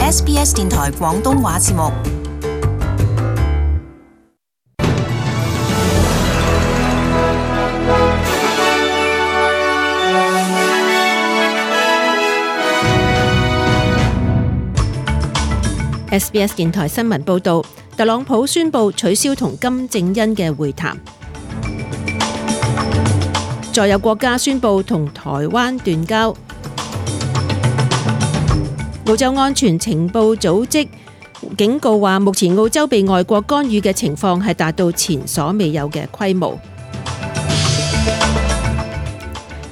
SBS 電台廣東話節目。SBS 電台新聞報導，特朗普宣布取消同金正恩嘅會談。再有國家宣布同台灣斷交。澳洲安全情報組織警告話，目前澳洲被外國干預嘅情況係達到前所未有嘅規模。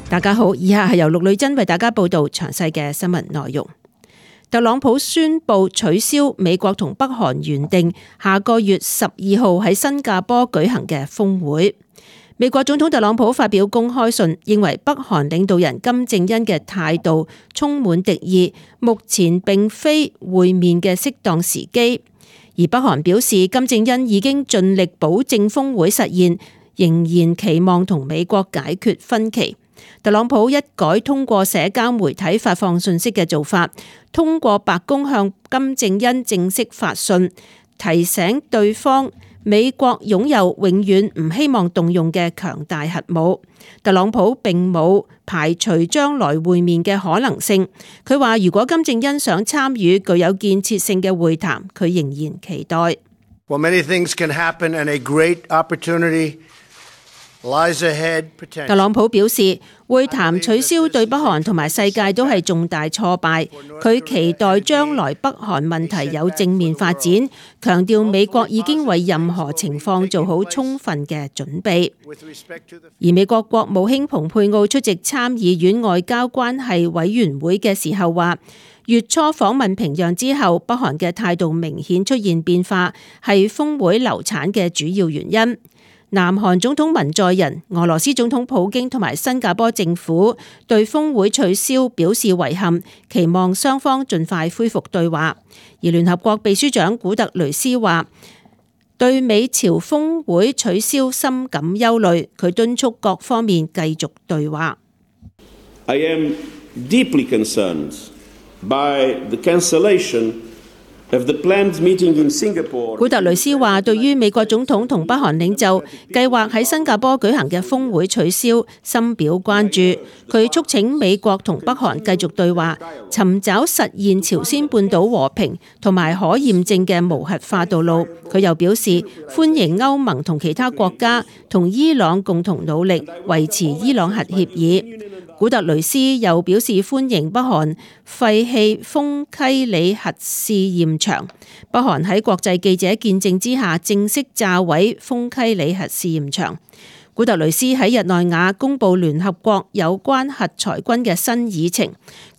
大家好，以下係由陸女真為大家報導詳細嘅新聞內容。特朗普宣布取消美國同北韓原定下個月12號喺新加坡舉行嘅峰會。美國總統特朗普發表公開信，認為北韓領導人金正恩嘅態度充滿敵意，目前並非會面嘅適當時機。而北韓表示，金正恩已經盡力保證峰會實現，仍然期望同美國解決分歧。特朗普一改通過社交媒體發放信息嘅做法，通過白宮向金正恩正式發信，提醒對方美國擁有永遠唔希望動用嘅強大核武。特朗普並冇排除將來會面嘅可能性。佢話如果金正恩想參與具有建設性嘅會談，佢仍然期待。Well, many things can happen and a great opportunity lies ahead. 特朗普表示，會談取消對北韓同埋世界都係重大挫敗。佢期待將來北韓問題有正面發展，強調美國已經為任何情況做好充分嘅準備。而美國國務卿蓬佩奧出席參議院外交關係委員會嘅時候話，月初訪問平壤之後，北韓嘅態度明顯出現變化，係峰會流產嘅主要原因。南韓總統文在寅、俄羅斯總統普京同埋新加坡政府對峰會取消表示遺憾，期望雙方盡快恢復對話。而聯合國秘書長古特雷斯話，對美朝峰會取消深感憂慮，佢敦促各方面繼續對話。I am deeply concerned by the cancellation古特雷斯話，對於美國總統同北韓領袖計劃喺新加坡舉行嘅峰會取消，深表關注。佢促請美國同北韓繼續對話，尋找實現朝鮮半島和平同埋可驗證嘅無核化道路。佢又表示歡迎歐盟同其他國家同伊朗共同努力維持伊朗核協議。古特雷斯又表示歡迎北韓廢棄豐溪里核試驗場。北韓喺國際記者見證之下正式炸毀豐溪里核試驗場。古特雷斯喺日內瓦公布聯合國有關核裁軍嘅新議程。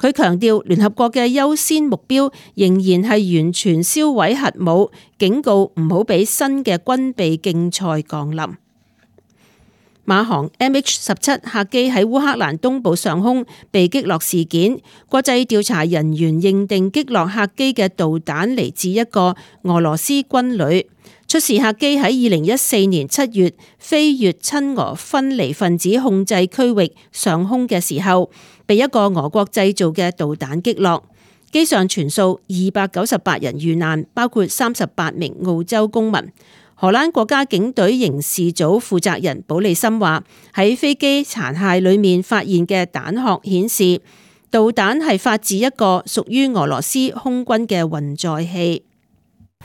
佢強調聯合國嘅優先目標仍然係完全銷毀核武，警告唔好俾新嘅軍備競賽降臨。馬航 MH17 客機喺烏克蘭東部上空被擊落事件，國際調查人員認定擊落客機嘅導彈嚟自一個俄羅斯軍旅。出事客機喺2014年7月飛越親俄分離分子控制區域上空嘅時候，被一個俄國製造嘅導彈擊落。機上全數298人遇難，包括38名澳洲公民。荷蘭國家警隊刑事組負責人保利森話，喺飛機殘骸裏面發現嘅彈殼顯示，導彈係發自一個屬於俄羅斯空軍嘅運載器。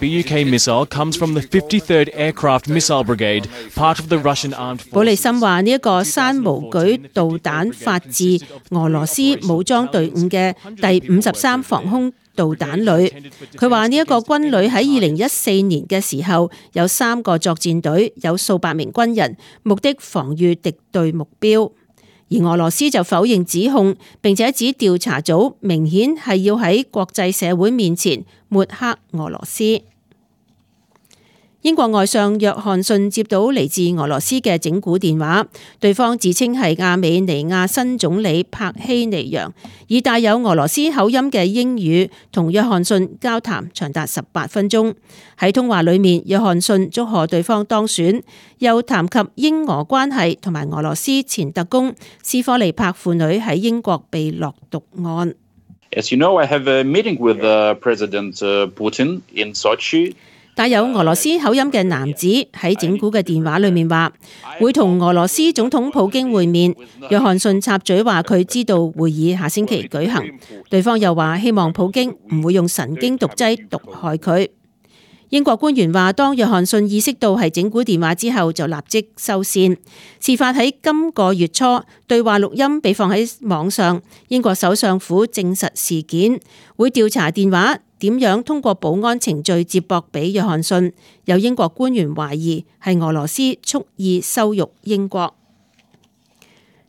BUK missile comes from the 53rd Aircraft Missile Brigade, part of the Russian Armed Forces. 保利森話呢一個山毛舉導彈發自俄羅斯武裝隊伍嘅第53防空導彈旅。佢話呢一個軍旅喺2014年嘅時候有3個作戰隊，有數百名軍人，目的防禦敵對目標。而俄羅斯就否認指控，並且指調查組明顯係要喺國際社會面前抹黑俄羅斯。英國外相約翰遜接到嚟自俄羅斯嘅整蠱電話，對方自稱係亞美尼亞新總理帕希尼揚，以帶有俄羅斯口音嘅英語同約翰遜交談長達18分鐘。喺通話裏面，約翰遜祝賀對方當選，又談及英俄關係同埋俄羅斯前特工斯科利帕父女喺英國被落毒案。As you know, I have a meeting with President Putin in Sochi. 帶有俄羅斯口音嘅男子喺整蠱嘅電話裏面話，會同俄羅斯總統普京會面。約翰遜插嘴話佢知道會議下星期舉行，對方又話希望普京唔會用神經毒劑毒害佢。英國官員話，當約翰遜意識到係整蠱電話之後，就立即收線。事發喺今個月初，對話錄音被放喺網上。英國首相府證實事件，會調查電話點樣通過保安程序接駁俾約翰遜。有英國官員懷疑係俄羅斯蓄意羞辱英國。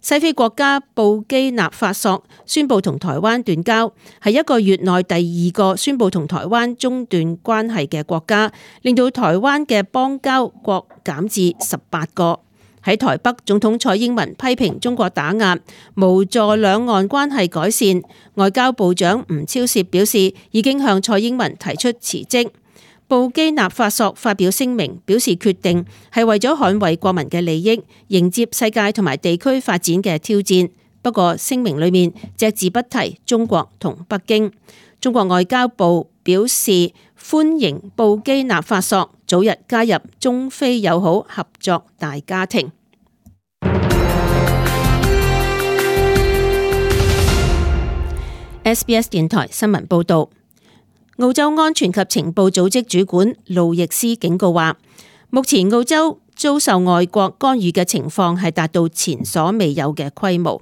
西非國家布基納法索宣布同台灣斷交，係一個月內第二個宣布同台灣中斷關係嘅國家，令到台灣嘅邦交國減至18個。喺台北，總統蔡英文批評中國打壓，無助兩岸關係改善。外交部長吳釗燮表示，已經向蔡英文提出辭職。布基納法索發表聲明，表示決定係為咗捍衛國民嘅利益，迎接世界同埋地區發展嘅挑戰。不過聲明裏面隻字不提中國同北京。中國外交部表示歡迎布基納法索早日加入中非友好合作大家庭。SBS 電台新聞報道。澳洲安全及情報組織主管路易斯警告話，目前澳洲遭受外國干預嘅情況係達到前所未有嘅規模。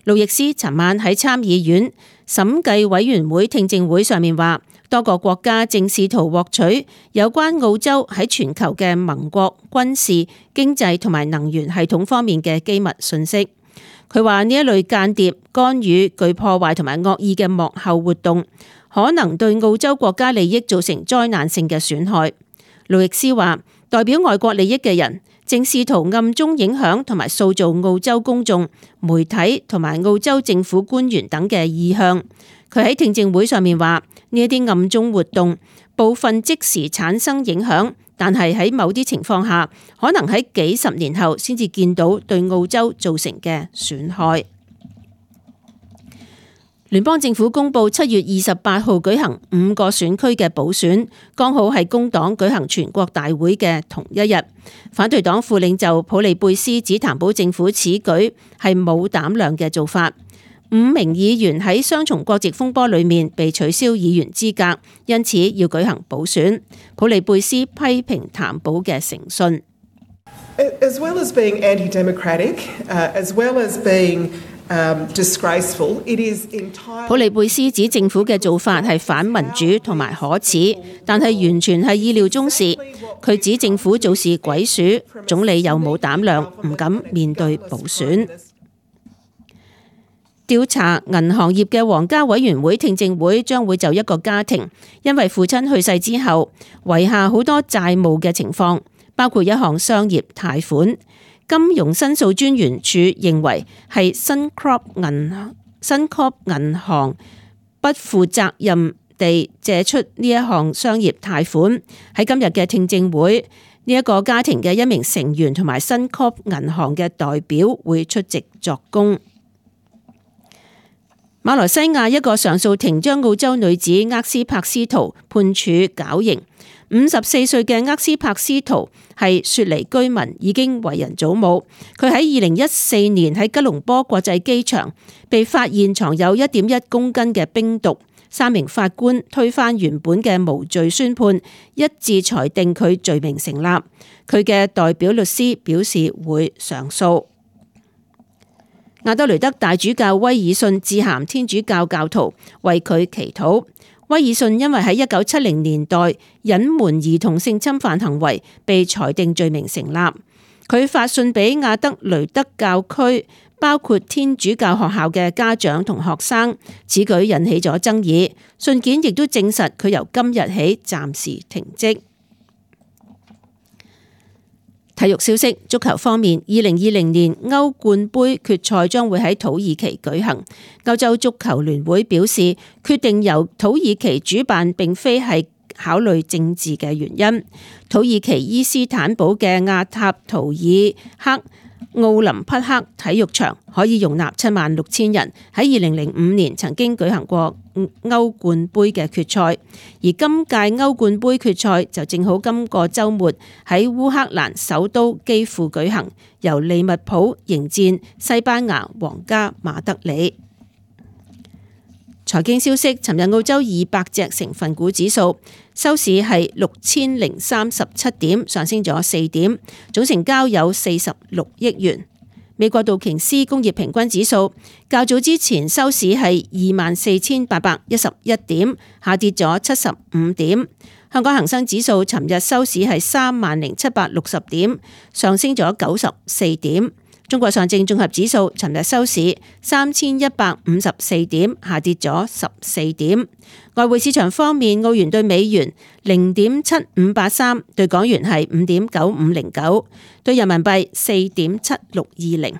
路易斯尋晚喺參議院審計委員會聽證會上面話，多個國家正試圖獲取有關澳洲喺全球嘅盟國軍事、經濟同埋能源系統方面嘅機密信息。佢話呢一類間諜干預具破壞同埋惡意嘅幕後活動，可能對澳洲國家利益造成災難性嘅損害。路易斯話，代表外國利益嘅人正試圖暗中影響同埋塑造澳洲公眾、媒體同埋澳洲政府官員等嘅意向。佢喺聽證會上面話，呢一啲暗中活動部分即時產生影響，但係喺某啲情況下，可能喺幾十年後先至見到對澳洲造成嘅損害。聯邦政府公布7月28號舉行5個選區嘅補選，剛好係工黨舉行全國大會嘅同一日。反對黨副領袖普利貝斯指談保政府此舉係冇膽量嘅做法。5名議員喺雙重國籍風波裏面被取消議員資格，因此要舉行補選。普利貝斯批評談保嘅誠信。As well as being anti-democratic, as well as being disgraceful, it is entirely... 普利貝斯指政府嘅做法係反民主同埋可恥，但係完全係意料中事。佢指政府做事鬼鼠，總理又冇膽量，唔敢面對補選。調查銀行業嘅皇家委員會聽證會將會就一個家庭因為父親去世之後遺下好多債務嘅情況，包括一項商業貸款。金融申訴專員處認為係Suncorp銀行不負責任地借出呢一項商業貸款。喺今日嘅聽證會，呢一個家庭嘅一名成員同埋Suncorp銀行嘅代表會出席作供。馬來西亞一個上訴庭將澳洲女子厄斯柏斯圖判處絞刑。54歲嘅厄斯柏斯圖係雪梨居民，已經為人祖母。佢喺2014年喺吉隆坡國際機場被發現藏有1.1公斤嘅冰毒。3名法官推翻原本嘅無罪宣判，一致裁定佢罪名成立。佢嘅代表律師表示會上訴。亞德雷德大主教威爾遜致函天主教教徒，為佢祈禱。威爾遜因為喺1970年代隱瞞兒童性侵犯行為，被裁定罪名成立。佢發信俾亞德雷德教區，包括天主教學校嘅家長同學生，此舉引起咗爭議。信件亦都證實佢由今日起暫時停職。體育消息，足球方面，2020年歐冠杯決賽將會喺土耳其舉行。歐洲足球聯會表示，決定由土耳其主辦並非係考慮政治嘅原因。土耳其伊斯坦堡嘅亞塔圖爾克奧林匹克體育場可以容納76,000人，喺2005年曾經舉行過歐冠杯嘅決賽，而今屆歐冠杯決賽就正好今個週末喺烏克蘭首都基輔舉行，由利物浦迎戰西班牙皇家馬德里。財經消息，尋日澳洲200隻成分股指數收市係6037點，上升咗4點，總成交有46億元。美國道瓊斯工業平均指數較早之前收市係24,811點，下跌咗75點。香港恒生指數尋日收市係30,760點，上升咗94點。中國上證綜合指數尋日收市3,154點，下跌咗14點。外匯市場方面，澳元對美元0.7583，對港元係5.9509，對人民幣4.7620。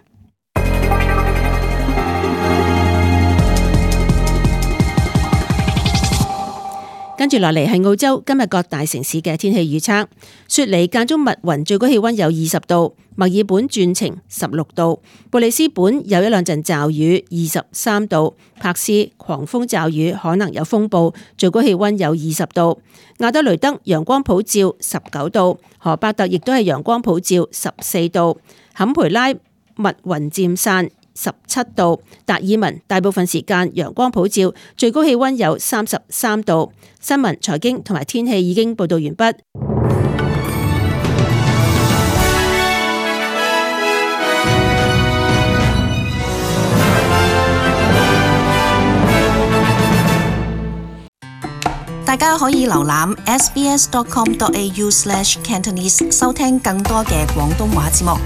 跟住落嚟係澳洲今日各大城市嘅天氣預測。雪梨間中密雲，最高氣溫有20度；墨爾本轉晴16度；布里斯本有一兩陣驟雨23度；柏斯狂風驟雨可能有風暴，最高氣溫有20度；亞德雷德陽光普照19度；荷伯特亦都係陽光普照14度；坎培拉密雲漸散17度，達爾文大部分時間陽光普照，最高氣溫有33度。新聞、財經同埋天氣已經報道完畢。大家可以瀏覽 sbs.com.au/cantonese 收聽更多嘅廣東話節目。